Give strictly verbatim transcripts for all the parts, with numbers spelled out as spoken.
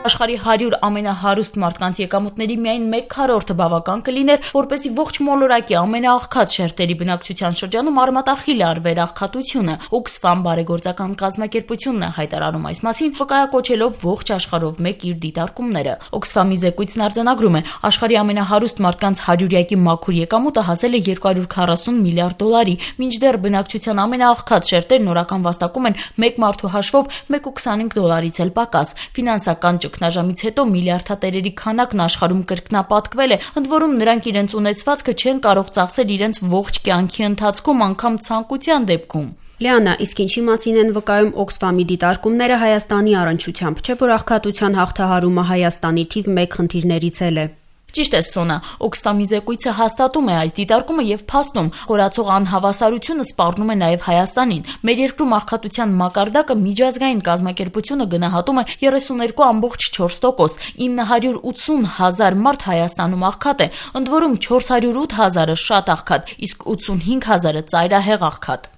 Աշխարհի հարյուր ամենահարուստ մարդկանց եկամուտների միայն մեկ քառորդը բավական կլիներ, որպեսզի ողջ մոլորակի ամենաաղքատ շերտերի բնակչության շրջանում արմատախիլ արվեր աղքատությունը։ Oxfam բարեգործական կազմակերպությունն է հայտարարում այս մասին, վկայակոչելով ողջ աշխարհով մեկ իր դիտարկումները։ Oxfam-ի զեկույցն արձանագրում է, աշխարհի ամենահարուստ մարդկանց հարյուրյակի մաքուր եկամուտը հասել է երկու հարյուր քառասուն միլիարդ դոլարի, մինչդեռ բնակչության ամենաաղքատ շերտերն օրական վաստակում են մեկ մարդու հաշվով մեկ կoma քսանհինգ դոլարից էլ պակաս։ Ֆինանսական ճգնաժամից հետո միլիարդատերերի քանակն աշխարհում կրկնապատկվել է, ընդ որում նրանք իրենց ունեցվածքը չեն կարող ծախսել իրենց ողջ կյանքի ընթացքում, անգամ ցանկության դեպքում։ Լիանա, իսկ ինչի մասին են վկայում Oxfam-ի դիտարկումները Հայաստանի առնչությամբ, չէ՞ որ աղքատության հաղթահարումը Հայաստանի թիվ մեկ խնդիրներից էլ է։ Ճիշտ է, Սոնա, Oxfam-ի զեկույցը հաստատում է այս դիտարկումը եւ փաստում, խորացող անհավասարությունը սպառնում է նաեւ Հայաստանին։ Մեր երկրում աղքատության մակարդակը միջազգային կազմակերպությունը գնահատում է երեսուներկու կoma չորս տոկոս, ինը հարյուր ութսուն հազար մարդ Հայաստանում աղքատ է, ընդ որում չորս հարյուր ութ հազարը շատ աղքատ, իսկ ութսունհինգ հազարը ծայրահեղ աղքատ։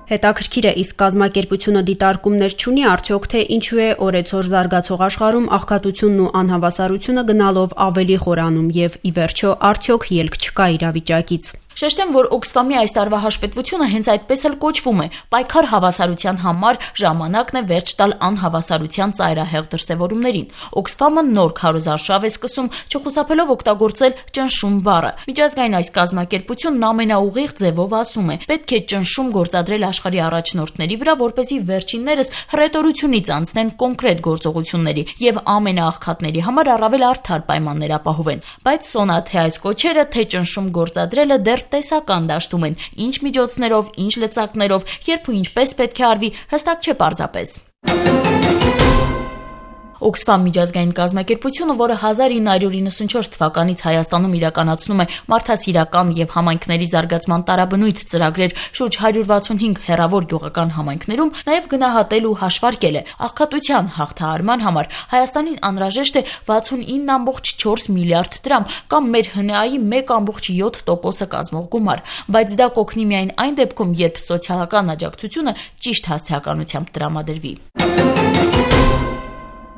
Հետաքրքիր է, իսկ կազմակերպությունը դիտարկումներ չունի արդյոք, թե ինչու է օրեցօր զարգացող աշխարհում աղքատությունն ու անհավասարությունը գնալով ավելի խորանում եւ ի վերջո արդյոք ելք չկա իրավիճակից։ Շեշտեմ, որ Oxfam-ի այս տարվա հաշվետվությունը հենց այդպես էլ կոչվում է՝ պայքար հավասարության համար, ժամանակն է վերջ տալ անհավասարության ծայրահեղ դրսևորումներին։ Oxfam-ը նոր քարոզարշավ է սկսում, չխուսափելով օգտագործել ճնշում բառը։ Միջազգային այս կազմակերպությունն ամենաուղիղ ձևով ասում է՝ պետք է ճնշում գործադրել աշխարհի առաջնորդների վրա, որպեսզի վերջիններս հռետորությունից անցնեն կոնկրետ գործողությունների եւ ամենաաղքատների համար առավել արդար պայմաններ ապահովեն։ Բայց Սոնա, թե այս կոչերը, թե ճնշում գործադրելը դեռ տեսական դաշտում են, ինչ միջոցներով, ինչ լծակներով, երբ ու ինչպես պետք է արվի, հստակ չէ պարզապես։ Oxfam միջազգային կազմակերպությունը, որը հազար ինը հարյուր իննսունչորս թվականից Հայաստանում իրականացնում է մարդասիրական եւ համայնքների զարգացման տարաբնույթ ծրագրեր շուրջ հարյուր վաթսունհինգ հեռավոր գյուղական համայնքներում, նաեւ գնահատել ու հաշվարկել է աղքատության հաղթահարման համար Հայաստանին անհրաժեշտ է վաթսունինը կoma չորս միլիարդ դրամ կամ մեր հն ա-ի մեկ կoma յոթ տոկոսը կազմող գումար, բայց դա կօգնի միայն այն դեպքում, երբ սոցիալական աջակցությունը ճիշտ հասցեականությամբ տրամադրվի։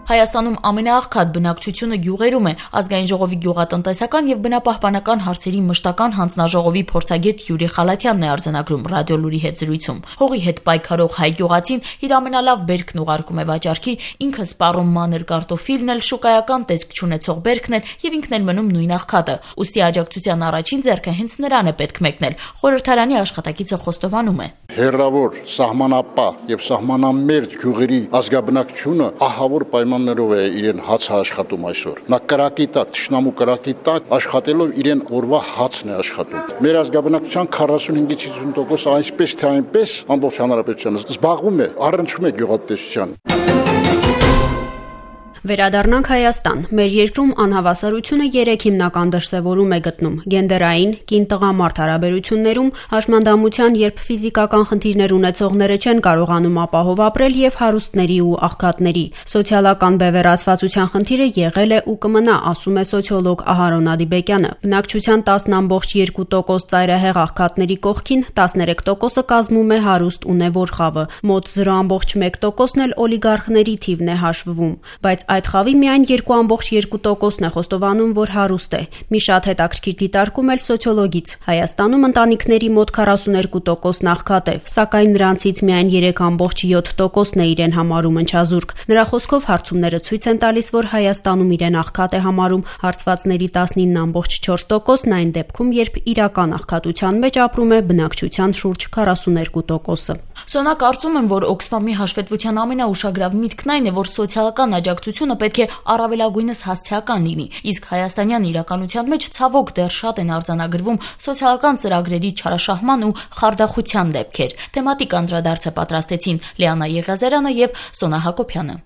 Հայաստանում ամենաաղքատ բնակչությունը գյուղերում է։ Ազգային ժողովի գյուղատնտեսական եւ բնապահպանական հարցերի մշտական հանձնաժողովի փորձագետ Յուրի Խալաթյանն է արձանագրում Ռադիոլուրի հետ զրույցում։ Հողի հետ պայքարող հայ գյուղացին իր ամենալավ բերքն ուղարկում է վաճառքի, ինքը սպառում մանր կարտոֆիլն էլ, շուկայական տեսք չունեցող բերքն էլ եւ ինքն էլ մնում նույն աղքատը։ Ուստի աջակցության առաջին ձեռքը հենց նրան է պետք մեկնել։ Խորհրդարանի աշխատակիցը խոստովանում է. Հերրավոր, սահմանապահ եւ սահմանամերձ գյուղերի ազգաբնակչությունը ահավոր պայմաններով է իրեն հացը աշխատում այսօր։ Նա կրակի տակ, թշնամու կրակի տակ աշխատելով իրեն օրվա հացն է աշխատում։ Մեր ազգաբնակչության քառասունհինգից հիսուն տոկոսը այսպես թե այնպես ամբողջ հանրապետությանը զբաղվում է, առնչվում է գյուղատնտեսության։ Վերադառնանք Հայաստան։ Մեր երկրում անհավասարությունը երեք հիմնական դրսևորում է գտնում՝ գենդերային, կին-տղամարդ հարաբերություններում, հաշմանդամության, երբ ֆիզիկական խնդիրներ ունեցողները չեն կարողանում ապահով ապրել, եւ հարուստների ու աղքատների։ Սոցիալական բևեռացվածության խնդիրը եղել է ու կմնա, ասում է սոցիոլոգ Ահարոն Ադիբեկյանը։ Բնակչության տասն կoma երկու տոկոս ծայրահեղ աղքատների կողքին տասներեք տոկոսը կազմում է հարուստ ունևոր խավը, մոտ զրո կoma մեկ տոկոսն էլ օլիգարխների թիվն է հաշվվում, բայց այդ խավի միայն երկու կoma երկու տոկոսն է խոստովանում, որ հարուստ է։ Մի շատ հետաքրքիր դիտարկում էլ սոցիոլոգից։ Հայաստանում ընտանիքների մոտ քառասուներկու տոկոսն աղքատ է, սակայն նրանցից միայն երեք կoma յոթ տոկոսն է իրեն համարում ընչազուրկ։ Նրա խոսքով հարցումները ցույց են տալիս, որ Հայաստանում իրեն աղքատ է համարում հարցվածների տասնինը կoma չորս տոկոսն այն դեպքում, երբ իրական աղքատության մեջ ապրում է բնակչության շուրջ քառասուներկու տոկոսը։ Սոնա, կարծում եմ, որ Oxfam-ի հաշվետվության ամենաուշագրավ միտքն այն է, որ սոցիալական աջակցությունը պետք է առավելագույնս հասցեական լինի, իսկ հայաստանյան իրականության մեջ ցավոք դեռ շատ են արձանագրվում սոցիալական ծրագրերի չարաշահման ու խարդախության դեպքեր։ Թեմատիկ անդրադարձը պատրաստեցին Լիանա Եղիազարյանը եւ Սոնա Հակոբյանը։